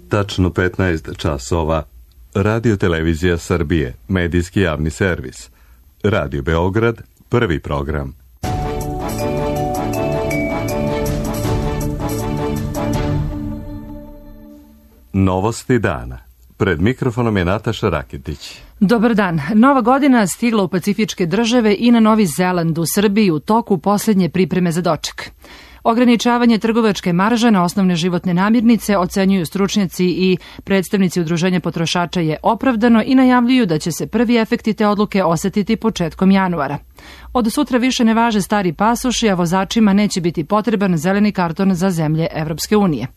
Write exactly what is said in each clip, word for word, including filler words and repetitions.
Tačno petnaest časova. Radio Televizija Srbije, medijski javni servis. Radio Beograd, prvi program. Novosti dana. Pred mikrofonom je Nataša Raketić. Dobar dan. Nova godina stigla u pacifičke države i na Novi Zeland, u Srbiji u toku posljednje pripreme za doček. Ograničavanje trgovačke marže na osnovne životne namirnice, ocenjuju stručnjaci i predstavnici udruženja potrošača, je opravdano i najavljuju da će se prvi efekti te odluke osetiti početkom januara. Od sutra više ne važe stari pasoši, a vozačima neće biti potreban zeleni karton za zemlje Evropske unije.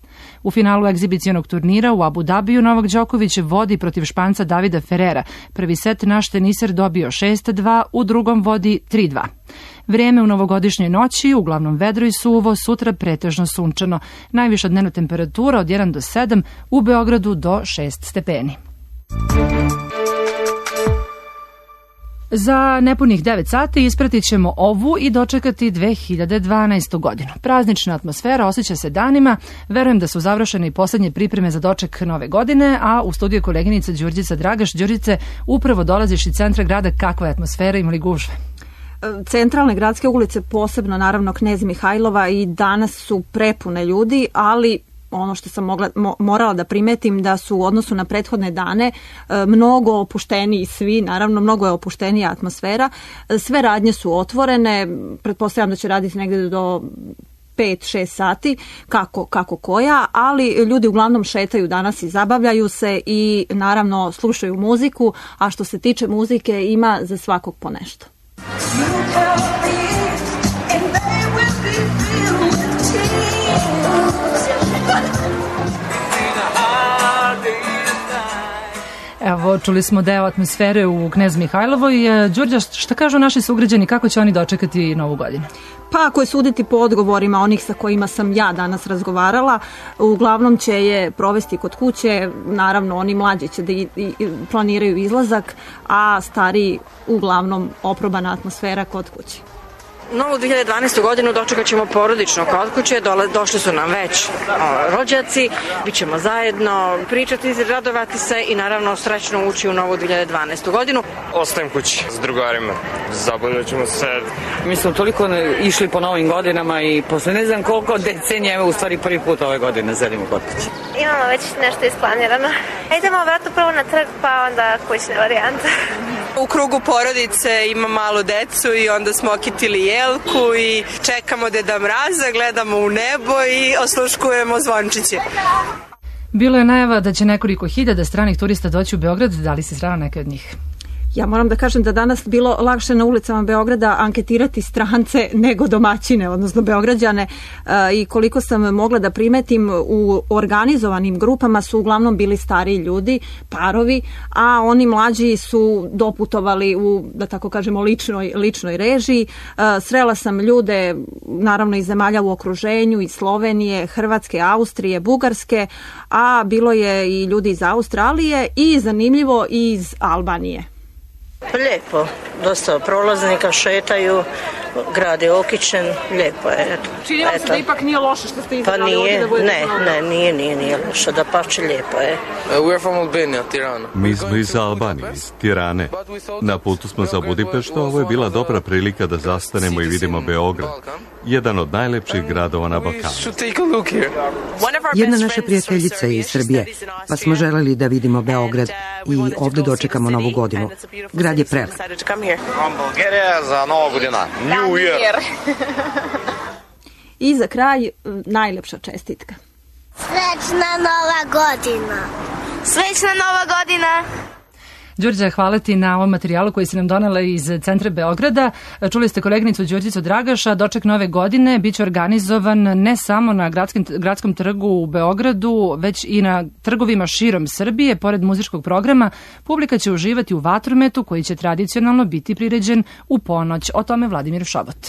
U finalu egzibicionog turnira u Abu Dabiju Novak Đoković vodi protiv Španca Davida Ferrera. Prvi set naš teniser dobio šest dva, u drugom vodi tri dva. Vrijeme u novogodišnjoj noći, uglavnom vedro i suvo, sutra pretežno sunčano. Najviša dnevna temperatura od jedan do sedam, u Beogradu do šest stepeni. Za nepunih devet sati ispratit ćemo ovu i dočekati dve hiljade dvanaestu. godinu. Praznična atmosfera osjeća se danima, verujem da su završene i posljednje pripreme za doček nove godine, a u studiju koleginica Đurđica Dragaš. Đurđice, upravo dolaziš iz centra grada, kakva je atmosfera, ima li gužve? Centralne gradske ulice, posebno naravno Knez Mihajlova, i danas su prepune ljudi, ali ono što sam mogla, mo, morala da primetim da su u odnosu na prethodne dane e, mnogo opušteniji svi, naravno mnogo je opuštenija atmosfera. E, sve radnje su otvorene, pretpostavljam da će raditi negdje do pet šest sati, kako, kako koja, ali ljudi uglavnom šetaju danas i zabavljaju se i naravno slušaju muziku, a što se tiče muzike ima za svakog po nešto. Evo, čuli smo deo atmosfere u Knez Mihajlovoj. Đurđa, šta kažu naši sugrađani, kako će oni dočekati Novu godinu? Pa ako je suditi po odgovorima onih sa kojima sam ja danas razgovarala, uglavnom će je provesti kod kuće, naravno oni mlađi će da i, i, planiraju izlazak, a stariji uglavnom oprobana atmosfera kod kuće. Novu dve hiljade dvanaestu. godinu dočekat ćemo porodično kod kuće, Dole, došli su nam već o, rođaci, bit ćemo zajedno pričati, radovati se i naravno srećno ući u novu dve hiljade dvanaestu. godinu. Ostajem kući s drugarima, zabavljat ćemo se. Mi smo toliko išli po novim godinama i posle ne znam koliko decenija, evo u stvari prvi put ove godine zelimo kod kuće. Imamo već nešto isplanirano. Idemo vratno prvo na trg, pa onda kućne varijante. U krugu porodice ima malu decu i onda smo okitili jelku i čekamo Deda Mraza, gledamo u nebo i osluškujemo zvončiće. Bilo je najava da će nekoliko hiljada stranih turista doći u Beograd, da li se srela neke od njih? Ja moram da kažem da danas bilo lakše na ulicama Beograda anketirati strance nego domaćine, odnosno Beograđane, i koliko sam mogla da primetim, u organizovanim grupama su uglavnom bili stariji ljudi, parovi, a oni mlađi su doputovali u, da tako kažemo, ličnoj, ličnoj režiji. Srela sam ljude, naravno iz zemalja u okruženju, iz Slovenije, Hrvatske, Austrije, Bugarske, a bilo je i ljudi iz Australije i zanimljivo iz Albanije. Lijepo, dosta prolaznika šetaju, grad je okićen, lijepo je. Eto. Čini vam se da ipak nije loše što ste izabrali pa nije, ovdje da budete ne, malo? Ne, nije, nije, nije loše, da pače lijepo je. Uh, we are from Albania, Tirana. Mi smo iz Albanije, iz Tirane. Na putu smo za Budimpeštu, ovo je bila dobra prilika da zastanemo i vidimo Beograd, jedan od najlepših gradova na Balkanu. Jedna naša prijateljica je iz Srbije, pa smo želeli da vidimo Beograd i ovdje dočekamo Novu godinu. Grad je prelep. Bulgarija za Novu godinu. New Year. I za kraj najlepša čestitka. Srećna Nova godina! Srećna Nova godina! Đurđa, hvala ti na ovom materijalu koji si nam donela iz centra Beograda. Čuli ste koleginicu Đurđicu Dragaša. Doček nove godine biće organizovan ne samo na gradskim, gradskom trgu u Beogradu, već i na trgovima širom Srbije. Pored muzičkog programa, publika će uživati u vatrometu koji će tradicionalno biti priređen u ponoć. O tome Vladimir Šobot.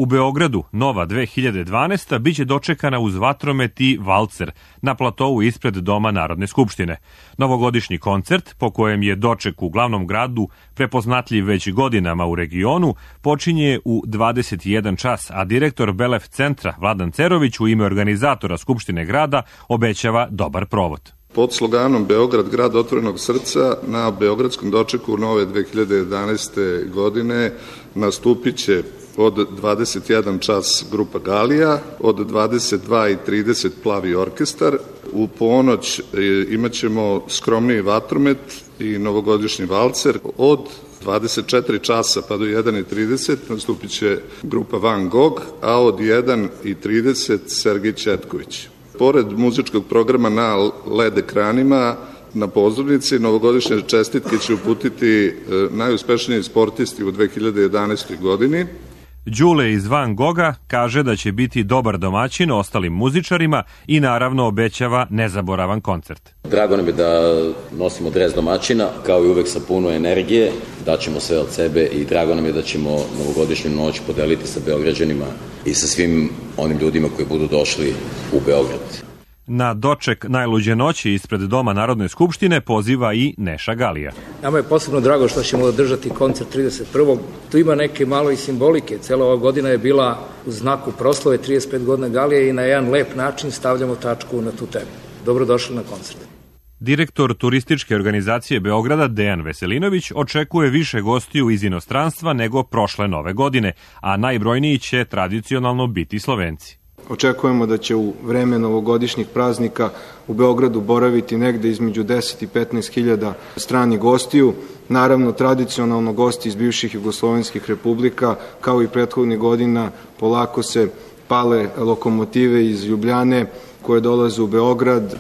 U Beogradu Nova dve hiljade dvanaesta biće dočekana uz vatromet i valcer na platovu ispred Doma Narodne skupštine. Novogodišnji koncert, po kojem je doček u glavnom gradu prepoznatljiv već godinama u regionu, počinje u dvadeset jedan čas, a direktor Belef centra Vladan Cerović u ime organizatora Skupštine grada obećava dobar provod. Pod sloganom Beograd, grad otvorenog srca, na beogradskom dočeku Nove dve hiljade jedanaeste. godine nastupit će od dvadeset jedan čas grupa Galija, od dvadeset dva i trideset Plavi orkestar, u ponoć imat ćemo skromniji vatromet i novogodišnji valcer, od dvadeset četiri časa pa do jedan i trideset nastupit će grupa Van Gogh, a od jedan i trideset Sergej Četković. Pored muzičkog programa na L E D ekranima, na pozornici novogodišnje čestitke će uputiti najuspešniji sportisti u dve hiljade jedanaestoj. godini. Đule iz Van Gogha kaže da će biti dobar domaćin ostalim muzičarima i naravno obećava nezaboravan koncert. Drago nam je da nosimo dres domaćina, kao i uvek sa puno energije, daćemo sve od sebe i drago nam je da ćemo novogodišnju noć podeliti sa Beograđanima i sa svim onim ljudima koji budu došli u Beograd. Na doček najluđe noći ispred Doma Narodne skupštine poziva i Neša Galija. Nama je posebno drago što ćemo održati koncert trideset prvog Tu ima neke malo i simbolike. Cela ova godina je bila u znaku proslave trideset pet godina Galije i na jedan lep način stavljamo tačku na tu temu. Dobrodošli na koncert. Direktor turističke organizacije Beograda Dejan Veselinović očekuje više gostiju iz inostranstva nego prošle nove godine, a najbrojniji će tradicionalno biti Slovenci. Očekujemo da će u vreme novogodišnjih praznika u Beogradu boraviti negde između deset i petnaest hiljada stranih gostiju. Naravno, tradicionalno gosti iz bivših jugoslovenskih republika, kao i prethodnih godina, polako se pale lokomotive iz Ljubljane koje dolaze u Beograd.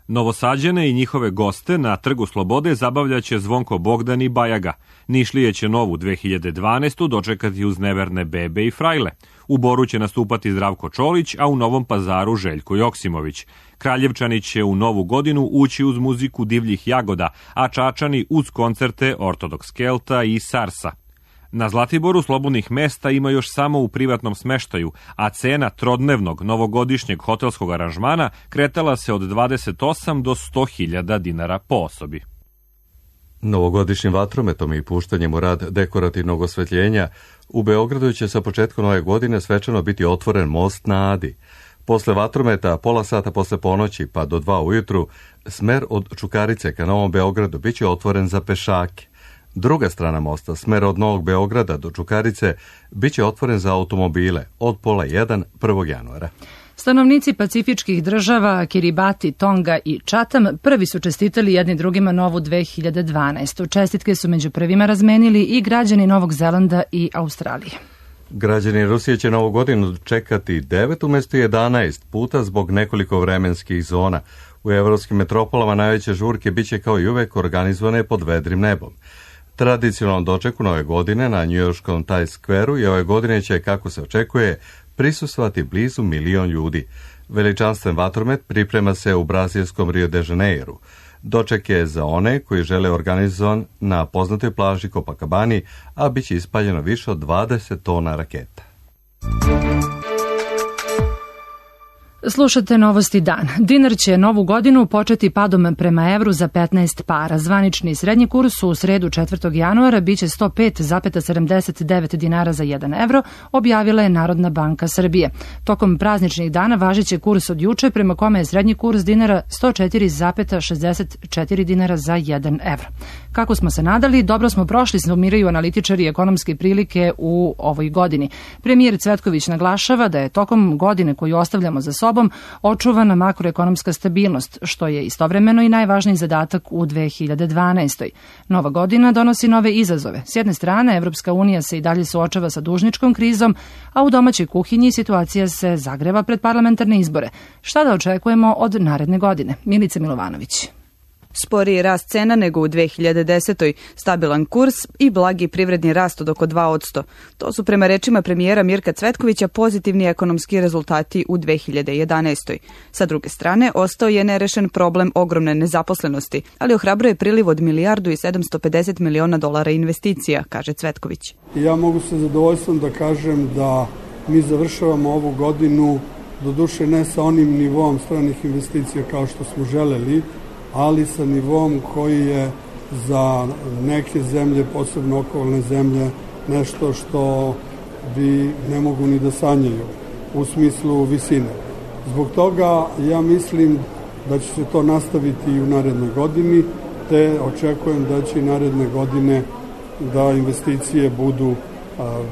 Novosađane i njihove goste na Trgu Slobode zabavljaće Zvonko Bogdan i Bajaga. Nišlije će Novu dve hiljade dvanaestu. dočekati uz neverne bebe i frajle. U Boru će nastupati Zdravko Čolić, a u Novom Pazaru Željko Joksimović. Kraljevčani će u Novu godinu ući uz muziku Divljih jagoda, a Čačani uz koncerte Ortodoks Kelta i Sarsa. Na Zlatiboru slobodnih mesta ima još samo u privatnom smeštaju, a cena trodnevnog novogodišnjeg hotelskog aranžmana kretala se od dvadeset osam do sto hiljada dinara po osobi. Novogodišnjim vatrometom i puštanjem u rad dekorativnog osvetljenja u Beogradu će sa početkom nove godine svečano biti otvoren most na Adi. Posle vatrometa, pola sata posle ponoći pa do dva ujutru, smer od Čukarice ka Novom Beogradu biće otvoren za pešake. Druga strana mosta, smer od Novog Beograda do Čukarice, biće otvoren za automobile od pola jedan prvog januara. Stanovnici pacifičkih država Kiribati, Tonga i Čatam prvi su čestitali jedni drugima Novu dve hiljade dvanaestu. Čestitke su među prvima razmenili i građani Novog Zelanda i Australije. Građani Rusije će Novu godinu čekati devet umjesto jedanaest puta zbog nekoliko vremenskih zona. U evropskim metropolama najveće žurke biće kao i uvek organizovane pod vedrim nebom. Tradicionalnom dočeku Nove godine na njujorškom Times Square-u i ove godine će, kako se očekuje, prisustvovati blizu milion ljudi. Veličanstven vatromet priprema se u brazilskom Rio de Janeiru. Doček je za one koji žele organizovan na poznatoj plaži Copacabani, a bit će ispaljeno više od dvadeset tona raketa. Slušate Novosti dan. Dinar će novu godinu početi padom prema evru za petnaest para. Zvanični srednji kurs u sredu četvrtog januara biće sto pet zarez sedamdeset devet dinara za jedan evro, objavila je Narodna banka Srbije. Tokom prazničnih dana važiće kurs od juče prema kome je srednji kurs dinara sto četiri zarez šezdeset četiri dinara za jedan evro. Kako smo se nadali, dobro smo prošli, sumiraju analitičari ekonomske prilike u ovoj godini. Premijer Cvetković naglašava da je tokom godine koju ostavljamo za sobom očuvana makroekonomska stabilnost, što je istovremeno i najvažniji zadatak u dve hiljade dvanaestoj. Nova godina donosi nove izazove. S jedne strane, Evropska unija se i dalje suočava sa dužničkom krizom, a u domaćoj kuhinji situacija se zagreva pred parlamentarne izbore. Šta da očekujemo od naredne godine? Milica Milovanović. Sporiji rast cena nego u dve hiljade desetoj, stabilan kurs i blagi privredni rast od oko dva posto. To su prema rečima premijera Mirka Cvetkovića pozitivni ekonomski rezultati u dve hiljade jedanaestoj. Sa druge strane, ostao je nerešen problem ogromne nezaposlenosti, ali ohrabruje priliv od milijardu i sedamsto pedeset miliona dolara investicija, kaže Cvetković. Ja mogu sa zadovoljstvom da kažem da mi završavamo ovu godinu, doduše ne sa onim nivom stranih investicija kao što smo želeli, ali sa nivom koji je za neke zemlje, posebno okolne zemlje, nešto što bi ne mogu ni da sanjaju u smislu visine. Zbog toga ja mislim da će se to nastaviti i u narednoj godini, te očekujem da će i naredne godine da investicije budu a,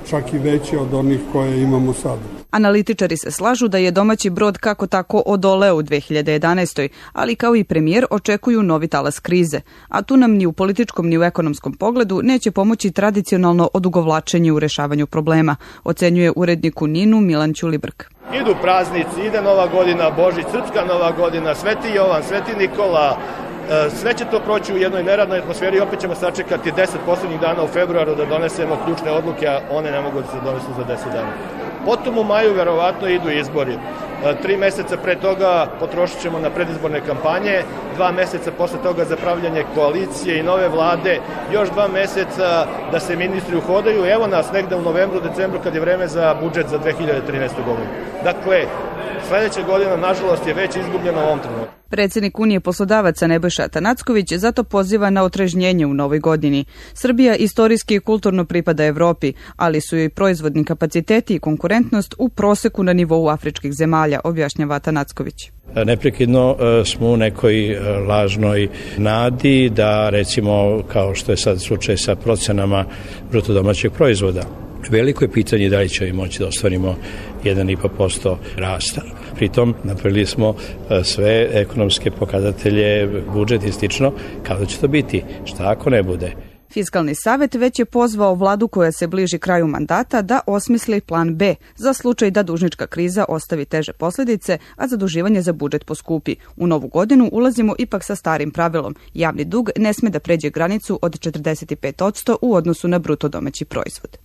čak i veće od onih koje imamo sada. Analitičari se slažu da je domaći brod kako tako odoleo u dve hiljade jedanaestoj. ali kao i premijer očekuju novi talas krize. A tu nam ni u političkom ni u ekonomskom pogledu neće pomoći tradicionalno odugovlačenje u rešavanju problema, ocenjuje urednik u Ninu Milan Ćulibrk. Idu praznici, ide Nova godina, Božić, Srpska Nova godina, Sveti Jovan, Sveti Nikola, sve će to proći u jednoj neradnoj atmosferi i opet ćemo sačekati deset poslednjih dana u februaru da donesemo ključne odluke, a one ne mogu da se donesu za deset dana. Potom u maju verovatno idu izbori. Tri meseca pre toga potrošit ćemo na predizborne kampanje, dva meseca posle toga za pravljanje koalicije i nove vlade, još dva meseca da se ministri uhodaju. Evo nas negde u novembru, decembru kad je vreme za budžet za dve hiljade trinaestu. godinu. Dakle, sledeća godina, nažalost, je već izgubljena u ovom trenutku. Predsjednik Unije poslodavaca Nebojša Atanacković zato poziva na otrežnjenje u novoj godini. Srbija istorijski i kulturno pripada Evropi, ali su joj proizvodni kapaciteti i konkurentnost u proseku na nivou afričkih zemalja, objašnjava Atanacković. Neprekidno smo u nekoj lažnoj nadi da, recimo, kao što je sad slučaj sa procenama bruto domaćeg proizvoda, veliko je pitanje da li ćemo moći da ostvarimo jedan i po posto rasta. Pritom napravili smo sve ekonomske pokazatelje, budžet i slično, kada će to biti, šta ako ne bude. Fiskalni savet već je pozvao vladu koja se bliži kraju mandata da osmisli plan B za slučaj da dužnička kriza ostavi teže posljedice, a zaduživanje za budžet poskupi. U novu godinu ulazimo ipak sa starim pravilom. Javni dug ne sme da pređe granicu od četrdeset pet posto u odnosu na bruto domaći proizvod.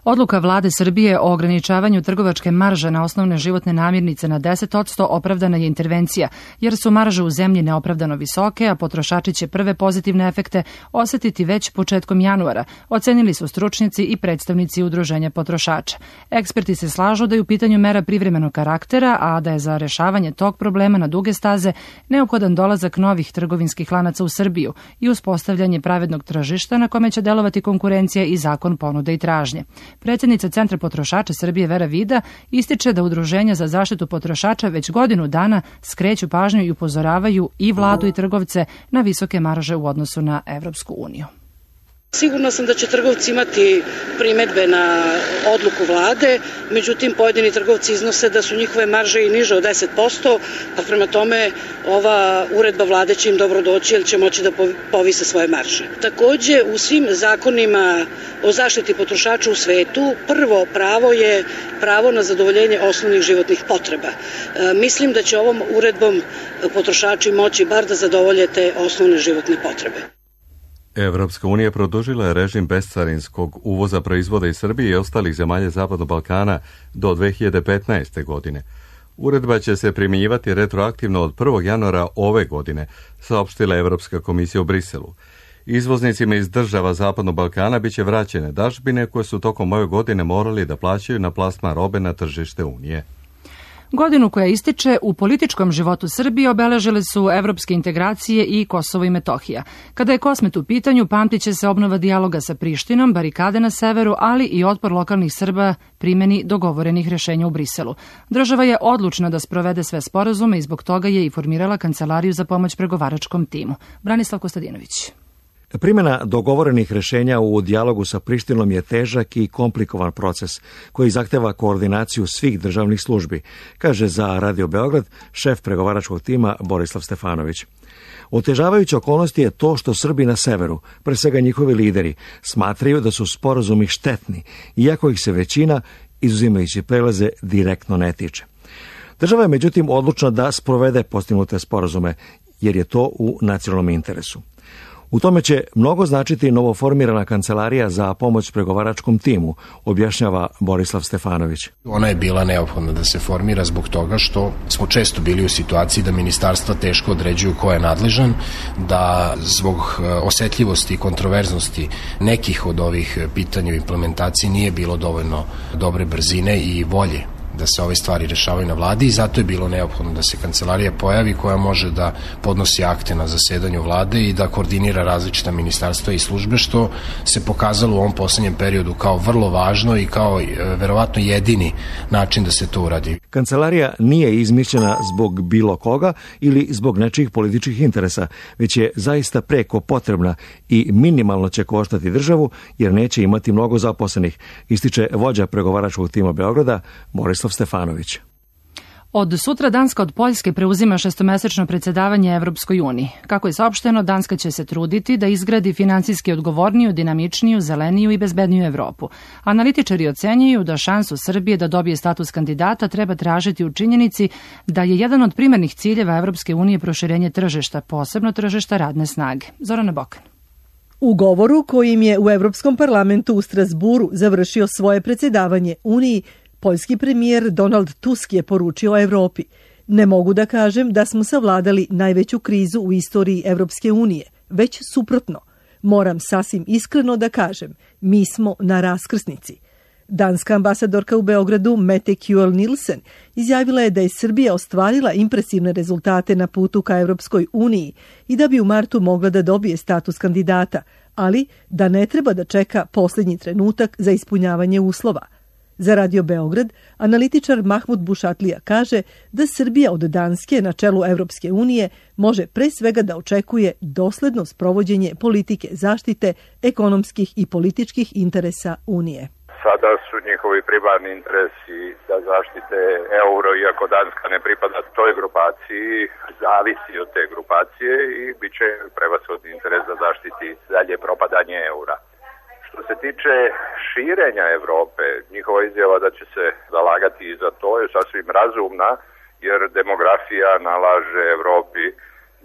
Odluka vlade Srbije o ograničavanju trgovačke marže na osnovne životne namirnice na deset posto opravdana je intervencija, jer su marže u zemlji neopravdano visoke, a potrošači će prve pozitivne efekte osetiti već početkom januara, ocenili su stručnjaci i predstavnici udruženja potrošača. Eksperti se slažu da je u pitanju mera privremenog karaktera, a da je za rešavanje tog problema na duge staze neophodan dolazak novih trgovinskih lanaca u Srbiju i uspostavljanje pravednog tržišta na kome će delovati konkurencija i zakon ponude i tražnje. Predsjednica Centra potrošača Srbije Vera Vida ističe da udruženja za zaštitu potrošača već godinu dana skreću pažnju i upozoravaju i vladu i trgovce na visoke marže u odnosu na Evropsku uniju. Sigurna sam da će trgovci imati primetbe na odluku vlade, međutim pojedini trgovci iznose da su njihove marže i niže od deset posto, pa prema tome ova uredba vlade će im dobro doći jer će moći da povise svoje marže. Takođe, u svim zakonima o zaštiti potrošača u svetu prvo pravo je pravo na zadovoljenje osnovnih životnih potreba. E, mislim da će ovom uredbom potrošači moći bar da zadovolje te osnovne životne potrebe. Evropska unija produžila je režim bescarinskog uvoza proizvoda iz Srbije i ostalih zemalja Zapadnog Balkana do dve hiljade petnaeste. godine. Uredba će se primjenjivati retroaktivno od prvog januara ove godine, saopštila Evropska komisija u Briselu. Izvoznicima iz država Zapadnog Balkana biće vraćene dažbine koje su tokom ove godine morali da plaćaju na plasman robe na tržište Unije. Godinu koja ističe u političkom životu Srbije obeležile su evropske integracije i Kosovo i Metohija. Kada je Kosmet u pitanju, pamtit će se obnova dijaloga sa Prištinom, barikade na severu, ali i otpor lokalnih Srba primjeni dogovorenih rešenja u Briselu. Država je odlučna da sprovede sve sporazume i zbog toga je i formirala Kancelariju za pomoć pregovaračkom timu. Branislav Kostadinović. Primjena dogovorenih rešenja u dijalogu sa Prištinom je težak i komplikovan proces koji zahteva koordinaciju svih državnih službi, kaže za Radio Beograd šef pregovaračkog tima Borislav Stefanović. Otežavajuća okolnost je to što Srbi na severu, pre svega njihovi lideri, smatraju da su sporazumi štetni, iako ih se većina, izuzimajući prelaze, direktno ne tiče. Država je međutim odlučna da sprovede postignute sporazume, jer je to u nacionalnom interesu. U tome će mnogo značiti novoformirana kancelarija za pomoć pregovaračkom timu, objašnjava Borislav Stefanović. Ona je bila neophodna da se formira zbog toga što smo često bili u situaciji da ministarstva teško određuju ko je nadležan, da zbog osetljivosti i kontroverznosti nekih od ovih pitanja u implementaciji nije bilo dovoljno dobre brzine i volje da se ove stvari rešavaju na vladi i zato je bilo neophodno da se kancelarija pojavi koja može da podnosi akte na zasedanju vlade i da koordinira različita ministarstva i službe, što se pokazalo u ovom poslednjem periodu kao vrlo važno i kao e, verovatno jedini način da se to uradi. Kancelarija nije izmišljena zbog bilo koga ili zbog nečijih političkih interesa, već je zaista preko potrebna i minimalno će koštati državu jer neće imati mnogo zaposlenih, ističe vođa pregovaračkog tima Beograda Borislav Stefanović. Od sutra Danska od Poljske preuzima šestomesečno predsjedavanje Evropskoj uniji. Kako je saopšteno, Danska će se truditi da izgradi finansijski odgovorniju, dinamičniju, zeleniju i bezbedniju Evropu. Analitičari ocenjuju da šansu Srbije da dobije status kandidata treba tražiti u činjenici da je jedan od primarnih ciljeva Evropske unije proširenje tržišta, posebno tržišta radne snage. Zorana Bokan. U govoru kojim je u Evropskom parlamentu u Strasburu završio svoje predsjedavanje Uniji, poljski premijer Donald Tusk je poručio Evropi: ne mogu da kažem da smo savladali najveću krizu u istoriji Evropske unije, već suprotno. Moram sasvim iskreno da kažem, mi smo na raskrsnici. Danska ambasadorka u Beogradu Mette Kjuel Nielsen izjavila je da je Srbija ostvarila impresivne rezultate na putu ka Evropskoj uniji i da bi u martu mogla da dobije status kandidata, ali da ne treba da čeka posljednji trenutak za ispunjavanje uslova. Za Radio Beograd, analitičar Mahmud Bušatlija kaže da Srbija od Danske na čelu Evropske unije može pre svega da očekuje dosledno sprovođenje politike zaštite ekonomskih i političkih interesa Unije. Sada su njihovi primarni interesi da zaštite euro, iako Danska ne pripada toj grupaciji, zavisi od te grupacije i bit će prevashodni interes da zaštiti dalje propadanje eura. Što se tiče širenja Evrope, njihova izjava da će se zalagati i za to je sasvim razumna, jer demografija nalaže Evropi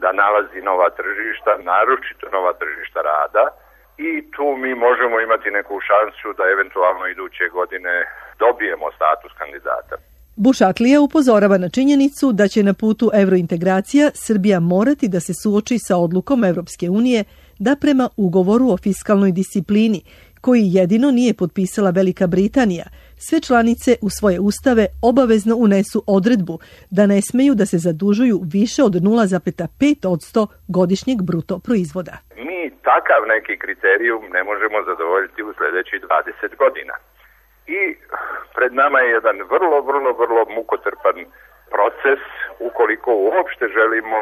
da nalazi nova tržišta, naročito nova tržišta rada, i tu mi možemo imati neku šansu da eventualno iduće godine dobijemo status kandidata. Bušatlija upozorava na činjenicu da će na putu evrointegracija Srbija morati da se suoči sa odlukom Evropske unije da prema ugovoru o fiskalnoj disciplini, koji jedino nije potpisala Velika Britanija, sve članice u svoje ustave obavezno unesu odredbu da ne smeju da se zadužuju više od nula zarez pet posto godišnjeg bruto proizvoda. Mi takav neki kriterijum ne možemo zadovoljiti u sljedećih dvadeset godina. I pred nama je jedan vrlo, vrlo, vrlo mukotrpan proces ukoliko uopšte želimo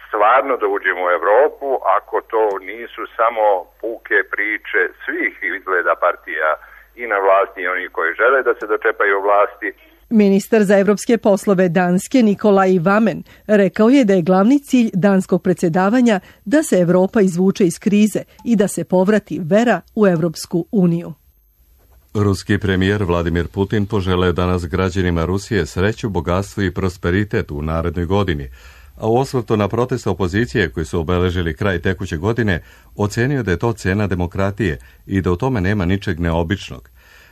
stvarno da uđemo u Evropu, ako to nisu samo puke priče svih izgleda partija i na vlasti i oni koji žele da se dočepaju vlasti. Ministar za evropske poslove Danske Nikolaj Vamen rekao je da je glavni cilj danskog predsjedavanja da se Evropa izvuče iz krize i da se povrati vera u Evropsku uniju. Ruski premijer Vladimir Putin poželeo danas građanima Rusije sreću, bogatstvo i prosperitet u narednoj godini, a u osvrtu na protest opozicije koji su obeležili kraj tekuće godine, ocenio da je to cena demokratije i da u tome nema ničeg neobičnog.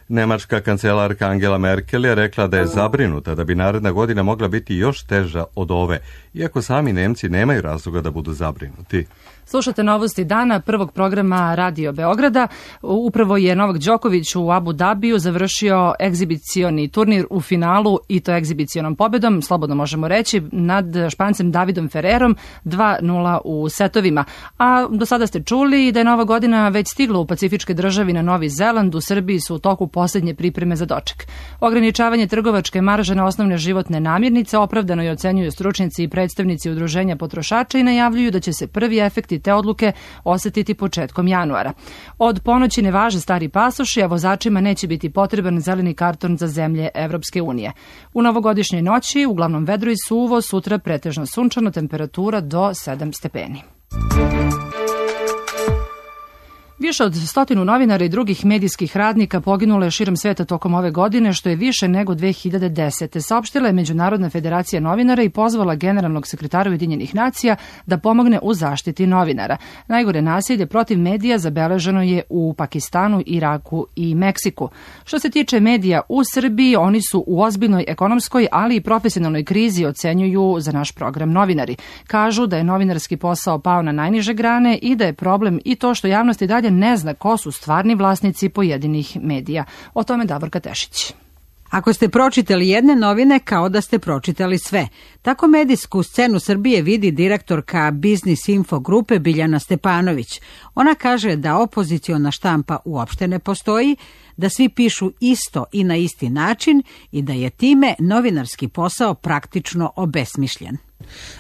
Nemačka kancelarka Angela Merkel je rekla da je zabrinuta da bi naredna godina mogla biti još teža od ove, iako sami Nemci nemaju razloga da budu zabrinuti. Slušate novosti dana prvog programa Radio Beograda. Upravo je Novak Đoković u Abu Dabiju završio egzibicioni turnir u finalu i to egzibicionom pobedom, slobodno možemo reći, nad Špancem Davidom Ferrerom dva nula u setovima. A do sada ste čuli da je Nova godina već stigla u pacifičke državi na Novi Zeland. U Srbiji su u toku posljednje pripreme za doček. Ograničavanje trgovačke marže na osnovne životne namirnice opravdano je ocenjuju stručnjaci i predstavnici udruženja potrošača i najavljuju da će se prvi efekti te odluke osetiti početkom januara. Od ponoći ne važe stari pasoši, a vozačima neće biti potreban zeleni karton za zemlje Evropske unije. U novogodišnjoj noći uglavnom vedro i suvo, sutra pretežno sunčano, temperatura do sedam stepeni. Više od stotinu novinara i drugih medijskih radnika poginulo je širom sveta tokom ove godine, što je više nego dve hiljade desete. Saopštila je Međunarodna federacija novinara i pozvala generalnog sekretara Ujedinjenih nacija da pomogne u zaštiti novinara. Najgore nasilje protiv medija zabeleženo je u Pakistanu, Iraku i Meksiku. Što se tiče medija u Srbiji, oni su u ozbiljnoj ekonomskoj, ali i profesionalnoj krizi, ocenjuju za naš program novinari. Kažu da je novinarski posao pao na najniže grane i da je problem i to što javnost i dalje ne zna ko su stvarni vlasnici pojedinih medija. O tome Davorka Tešić. Ako ste pročitali jedne novine, kao da ste pročitali sve. Tako medijsku scenu Srbije vidi direktorka Biznis Info grupe Biljana Stepanović. Ona kaže da opoziciona štampa uopšte ne postoji, da svi pišu isto i na isti način i da je time novinarski posao praktično obesmišljen.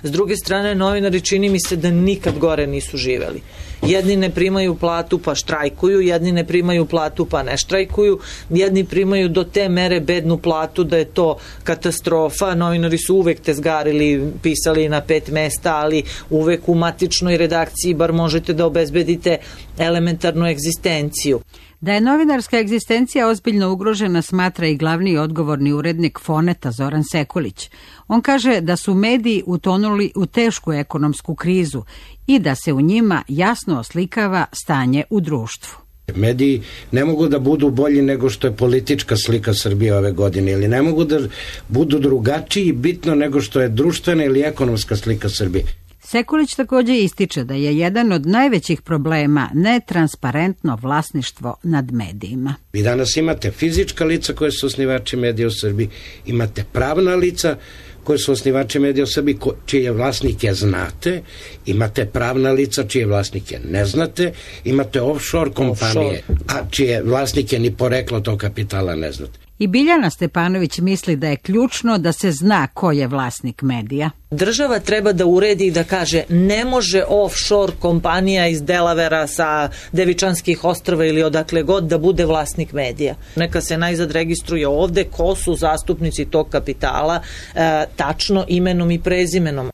S druge strane, novinari čini mi se da nikad gore nisu živeli. Jedni ne primaju platu pa štrajkuju, jedni ne primaju platu pa ne štrajkuju, jedni primaju do te mere bednu platu da je to katastrofa. Novinari su uvek tezgarili, pisali na pet mesta, ali uvek u matičnoj redakciji bar možete da obezbedite elementarnu egzistenciju. Da je novinarska egzistencija ozbiljno ugrožena smatra i glavni i odgovorni urednik Foneta Zoran Sekulić. On kaže da su mediji utonuli u tešku ekonomsku krizu i da se u njima jasno oslikava stanje u društvu. Mediji ne mogu da budu bolji nego što je politička slika Srbije ove godine ili ne mogu da budu drugačiji bitno nego što je društvena ili ekonomska slika Srbije. Sekulić također ističe da je jedan od najvećih problema netransparentno vlasništvo nad medijima. Vi danas imate fizička lica koje su osnivači medija u Srbiji, imate pravna lica koje su osnivači medija u Srbiji, čije vlasnike znate, imate pravna lica čije vlasnike ne znate, imate offshore kompanije, a čije vlasnike ni poreklo tog kapitala ne znate. I Biljana Stepanović misli da je ključno da se zna ko je vlasnik medija. Država treba da uredi i da kaže ne može offshore kompanija iz Delavera sa Devičanskih ostrva ili odakle god da bude vlasnik medija. Neka se najzad registruje ovde ko su zastupnici tog kapitala, e, tačno imenom i prezimenom.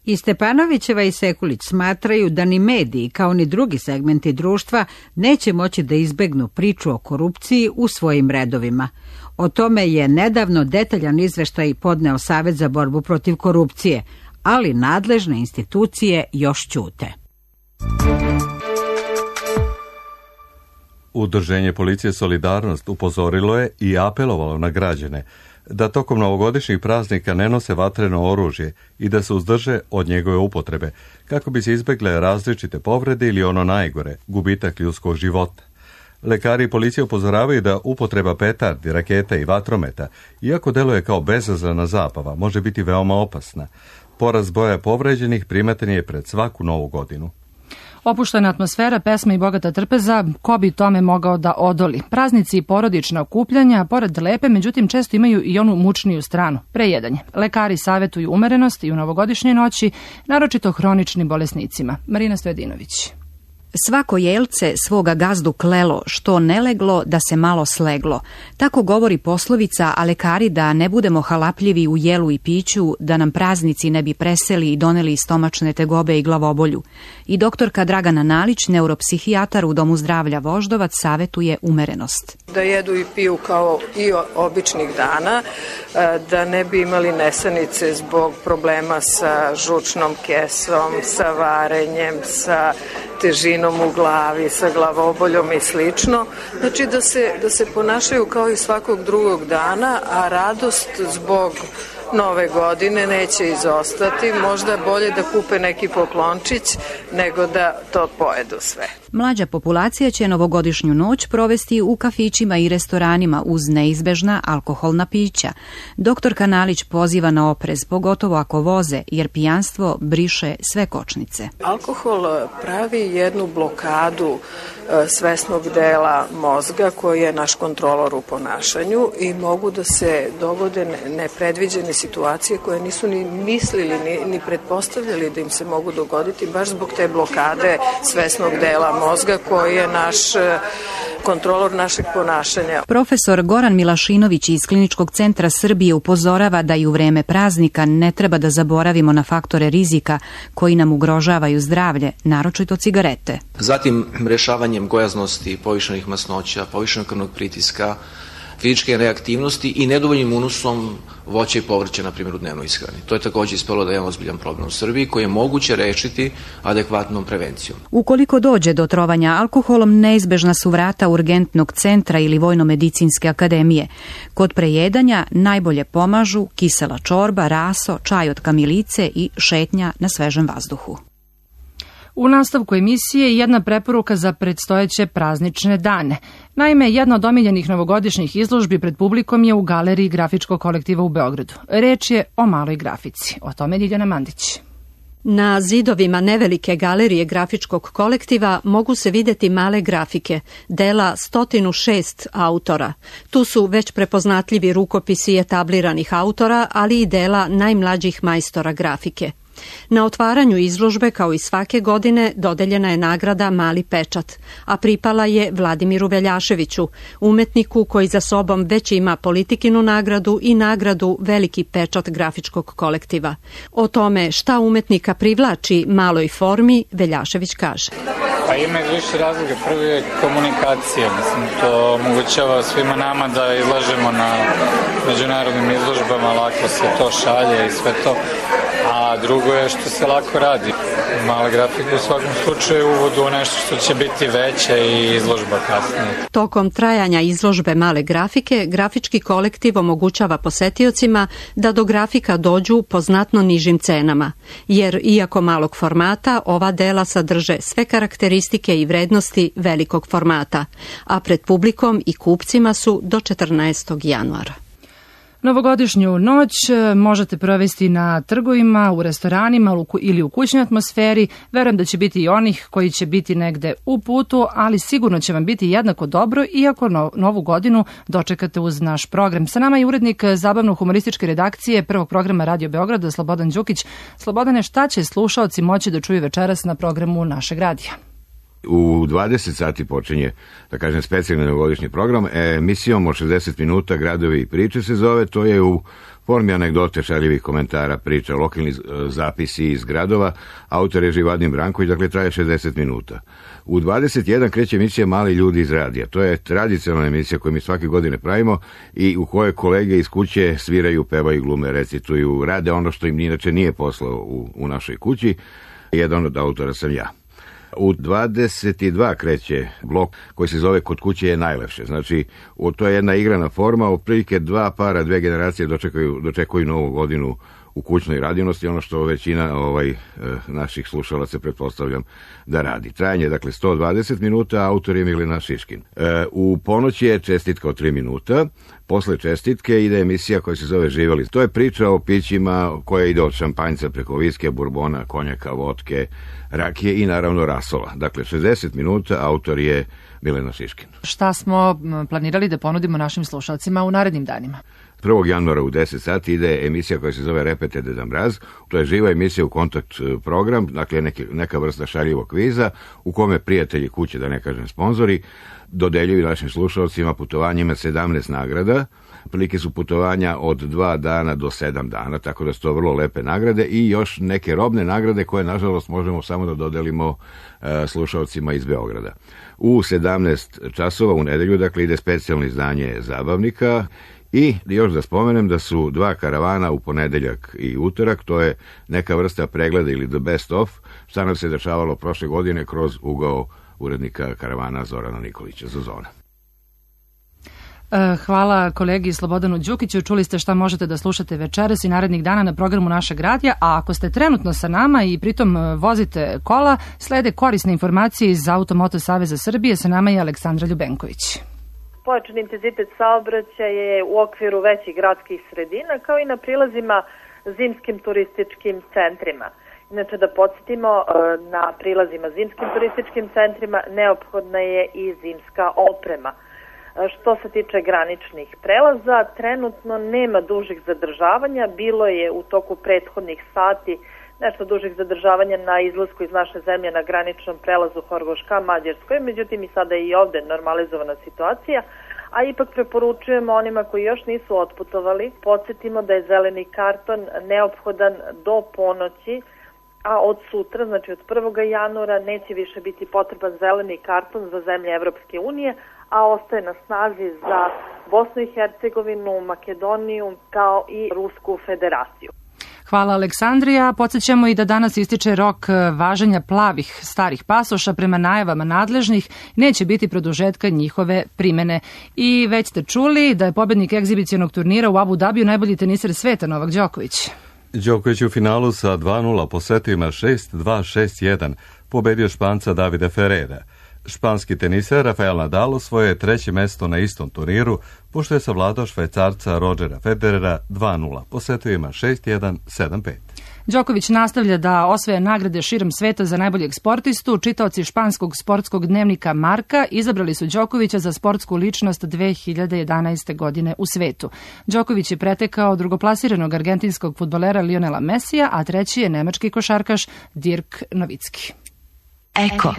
I Stepanovićeva i Sekulić smatraju da ni mediji, kao ni drugi segmenti društva, neće moći da izbegnu priču o korupciji u svojim redovima. O tome je nedavno detaljan izveštaj podneo Savet za borbu protiv korupcije, ali nadležne institucije još ćute. Udruženje Policije Solidarnost upozorilo je i apelovalo na građane da tokom novogodišnjih praznika ne nose vatreno oružje i da se uzdrže od njegove upotrebe, kako bi se izbegle različite povrede ili ono najgore, gubitak ljudskog života. Lekari i policija upozoravaju da upotreba petardi, raketa i vatrometa, iako deluje kao bezazlena zabava, može biti veoma opasna. Porast broja povređenih primeten je pred svaku novu godinu. Opuštena atmosfera, pesma i bogata trpeza, ko bi tome mogao da odoli? Praznici i porodična okupljanja, pored lepe, međutim često imaju i onu mučniju stranu, prejedanje. Lekari savetuju umerenost i u novogodišnjoj noći, naročito hroničnim bolesnicima. Marina Stojadinović. Svako jelce svoga gazdu klelo, što ne leglo da se malo sleglo. Tako govori poslovica, a lekari da ne budemo halapljivi u jelu i piću, da nam praznici ne bi preseli i doneli stomačne tegobe i glavobolju. I doktorka Dragana Nalić, neuropsihijatar u Domu zdravlja Voždovac, savetuje umerenost. Da jedu i piju kao i običnih dana, da ne bi imali nesanice zbog problema sa žučnom kesom, sa varenjem, sa težinom u glavi, sa glavoboljom i slično. Znači da se, da se ponašaju kao i svakog drugog dana, a radost zbog nove godine neće izostati. Možda bolje da kupe neki poklončić nego da to pojedu sve. Mlađa populacija će novogodišnju noć provesti u kafićima i restoranima uz neizbežna alkoholna pića. Doktor Kanalić poziva na oprez, pogotovo ako voze, jer pijanstvo briše sve kočnice. Alkohol pravi jednu blokadu svesnog dela mozga koji je naš kontrolor u ponašanju i mogu da se dogode nepredviđene situacije koje nisu ni mislili ni, ni pretpostavljali da im se mogu dogoditi baš zbog te blokade svesnog dela mozga koji je naš kontrolor našeg ponašanja. Profesor Goran Milašinović iz Kliničkog centra Srbije upozorava da i u vreme praznika ne treba da zaboravimo na faktore rizika koji nam ugrožavaju zdravlje, naročito cigarete. Zatim rešavanjem gojaznosti, povišenih masnoća, povišenog krvnog pritiska, fizičke reaktivnosti i nedovoljnim unosom voća i povrća, na primjer, u dnevnoj ishrani. To je također ispalo da je ozbiljan problem u Srbiji koji je moguće rešiti adekvatnom prevencijom. Ukoliko dođe do trovanja alkoholom, neizbežna su vrata urgentnog centra ili Vojno-medicinske akademije. Kod prejedanja najbolje pomažu kisela čorba, raso, čaj od kamilice i šetnja na svežem vazduhu. U nastavku emisije jedna preporuka za predstojeće praznične dane. Naime, jedna od omiljenih novogodišnjih izložbi pred publikom je u galeriji Grafičkog kolektiva u Beogradu. Reč je o maloj grafici. O tome Ljiljana Mandić. Na zidovima nevelike galerije Grafičkog kolektiva mogu se vidjeti male grafike, dela sto šest autora. Tu su već prepoznatljivi rukopisi etabliranih autora, ali i dela najmlađih majstora grafike. Na otvaranju izložbe, kao i svake godine, dodeljena je nagrada Mali pečat, a pripala je Vladimiru Veljaševiću, umetniku koji za sobom već ima Politikinu nagradu i nagradu Veliki pečat Grafičkog kolektiva. O tome šta umetnika privlači maloj formi, Veljašević kaže. Pa ima više razloga. Prvi je komunikacija. Mislim, to omogućava svima nama da izlažemo na međunarodnim izložbama, lako se to šalje i sve to. A drugo je što se lako radi. Mala grafika u svakom slučaju uvodu u nešto što će biti veće i izložba kasnije. Tokom trajanja izložbe male grafike, Grafički kolektiv omogućava posetiocima da do grafika dođu po znatno nižim cenama, jer iako malog formata, ova dela sadrže sve karakteristike i vrednosti velikog formata, a pred publikom i kupcima su do četrnaestog januara. Novogodišnju noć možete provesti na trgovima, u restoranima ili u kućnoj atmosferi. Verujem da će biti i onih koji će biti negde u putu, ali sigurno će vam biti jednako dobro iako no, novu godinu dočekate uz naš program. Sa nama je urednik zabavno-humorističke redakcije prvog programa Radio Beograda, Slobodan Đukić. Slobodane, šta će slušaoci moći da čuju večeras na programu našeg radija? U dvadeset sati počinje, da kažem, specijalni novogodišnji program, emisijom od šezdeset minuta Gradovi i priče se zove. To je u formi anegdote, šaljivih komentara, priča, lokalni zapisi iz gradova. Autor je Živadin Branković, dakle traje šezdeset minuta. U dvadeset jedan kreće emisija Mali ljudi iz radija. To je tradicionalna emisija koju mi svake godine pravimo i u kojoj kolege iz kuće sviraju, pevaju, glume, recituju, rade ono što im inače nije posao u, u našoj kući. Jedan od autora sam ja. U dvadeset dva kreće blok koji se zove Kod kuće je najlepše. Znači, to je jedna igrana forma, otprilike dva para, dve generacije dočekaju, dočekuju novu godinu u kućnoj radinosti, ono što većina ovaj, naših slušalaca pretpostavljam da radi. Trajanje, dakle, sto dvadeset minuta, autor je Milena Šiškin. E, u ponoć je čestitka od tri minuta, posle čestitke ide emisija koja se zove Živeli. To je priča o pićima koja ide od šampanjca preko viske, burbona, konjaka, vodke, rakije i naravno rasola. Dakle, šezdeset minuta, autor je Milena Šiškin. Šta smo planirali da ponudimo našim slušalcima u narednim danima? prvog januara u deset sati ide emisija koja se zove Repete Deda Mraz. To je živa emisija u kontakt program, dakle neke, neka vrsta šaljivog kviza u kome prijatelji kuće, da ne kažem sponzori, dodeljuju našim slušalcima putovanjima sedamnaest nagrada. Prilike su putovanja od dva dana do sedam dana, tako da su to vrlo lepe nagrade i još neke robne nagrade koje, nažalost, možemo samo da dodelimo e, slušalcima iz Beograda. U sedamnaest časova u nedelju, dakle, ide specijalno izdanje Zabavnika. I još da spomenem da su dva karavana u ponedeljak i utorak, to je neka vrsta pregleda ili the best of, šta nam se dešavalo prošle godine kroz ugao urednika karavana Zorana Nikolića, Zozona. Hvala kolegi Slobodanu Đukiću. Čuli ste šta možete da slušate večeras i narednih dana na programu našeg radija, a ako ste trenutno sa nama i pritom vozite kola, slede korisne informacije iz Automoto Saveza Srbije. Sa nama je Aleksandra Ljubenković. Pojačan intenzitet saobraćaja je u okviru većih gradskih sredina, kao i na prilazima zimskim turističkim centrima. Inače, da podsjetimo, na prilazima zimskim turističkim centrima neophodna je i zimska oprema. Što se tiče graničnih prelaza, trenutno nema dužih zadržavanja, bilo je u toku prethodnih sati nešto dužih zadržavanja na izlasku iz naše zemlje na graničnom prelazu Horgoš ka Mađarskoj, međutim i sada je i ovde normalizovana situacija, a ipak preporučujemo onima koji još nisu otputovali, podsjetimo da je zeleni karton neophodan do ponoći, a od sutra, znači od prvog januara, neće više biti potreban zeleni karton za zemlje Evropske unije, a ostaje na snazi za Bosnu i Hercegovinu, Makedoniju, kao i Rusku federaciju. Hvala Aleksandrija. Podsjećamo i da danas ističe rok važenja plavih starih pasoša prema najavama nadležnih. Neće biti produžetka njihove primene. I već ste čuli da je pobednik egzibicionog turnira u Abu Dabiju najbolji teniser sveta Novak Đoković. Đoković u finalu sa dva nula po setovima šest dva šest jedan pobedio Španca Davida Ferrera. Španski teniser Rafael Nadal osvojio je treće mesto na istom turniru, pošto je savladao Švajcarca Rodgera Federera dva nula po setovima šest jedan sedam pet. Đoković nastavlja da osvaja nagrade širom sveta za najboljeg sportistu. Čitaoci španskog sportskog dnevnika Marka izabrali su Đokovića za sportsku ličnost dve hiljade jedanaeste. godine u svetu. Đoković je pretekao drugoplasiranog argentinskog fudbalera Lionela Messija, a treći je nemački košarkaš Dirk Novicki. Eko.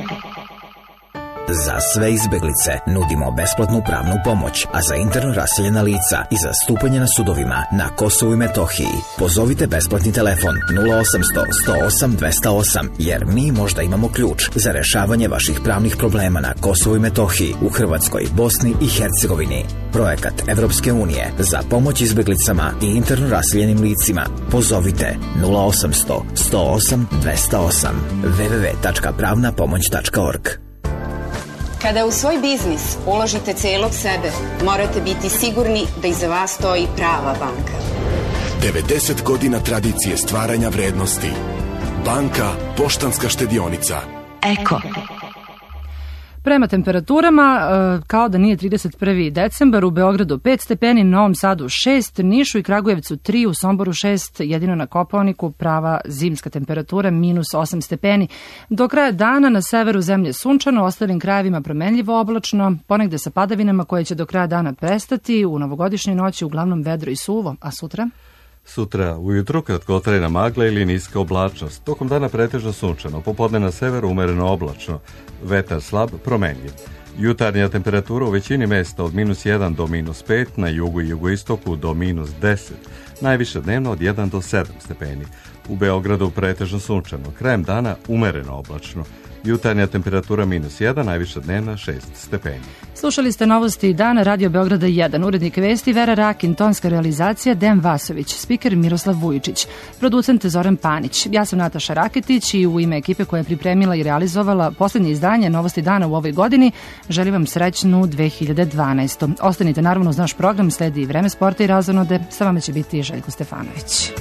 Za sve izbeglice nudimo besplatnu pravnu pomoć, a za interno raseljena lica i za stupanje na sudovima na Kosovu i Metohiji pozovite besplatni telefon nula osamsto sto osam dvesta osam, jer mi možda imamo ključ za rešavanje vaših pravnih problema na Kosovu i Metohiji, u Hrvatskoj, Bosni i Hercegovini. Projekat Evropske unije za pomoć izbeglicama i interno raseljenim licima. Pozovite nula osamsto sto osam dvesta osam w w w tačka pravna pomoć tačka org. Kada u svoj biznis uložite celog sebe, morate biti sigurni da iza vas stoji prava banka. devedeset godina tradicije stvaranja vrednosti. Banka Poštanska štedionica. Eko. Prema temperaturama, kao da nije trideset prvi decembar, u Beogradu pet stepeni, Novom Sadu šest, Nišu i Kragujevcu tri, u Somboru šest, jedino na Kopaoniku prava zimska temperatura minus osam stepeni. Do kraja dana na severu zemlje sunčano, ostalim krajevima promenljivo oblačno, ponegde sa padavinama koje će do kraja dana prestati, u novogodišnjoj noći uglavnom vedro i suvo, a sutra? Sutra ujutru kratkotrajna magla ili niska oblačnost, tokom dana pretežno sunčano, popodne na severu umereno oblačno, vetar slab, promenljiv. Jutarnja temperatura u većini mesta od minus jedan do minus pet, na jugu i jugoistoku do minus deset, najviše dnevno od jedan do sedam stepeni. U Beogradu pretežno sunčano, krajem dana umereno oblačno. Jutarnja temperatura minus jedan, najviša dnevna šest stepeni. Slušali ste novosti dana Radio Beograda jedan, urednik vesti Vera Rakin, tonska realizacija Dejan Vasović, spiker Miroslav Vujičić, producent Zoran Panić. Ja sam Nataša Raketić i u ime ekipe koja je pripremila i realizovala poslednje izdanje novosti dana u ovoj godini, želim vam srećnu dve hiljade dvanaestu. Ostanite naravno uz naš program, sledi i vreme sporta i razonode, sa vama će biti Željko Stefanović.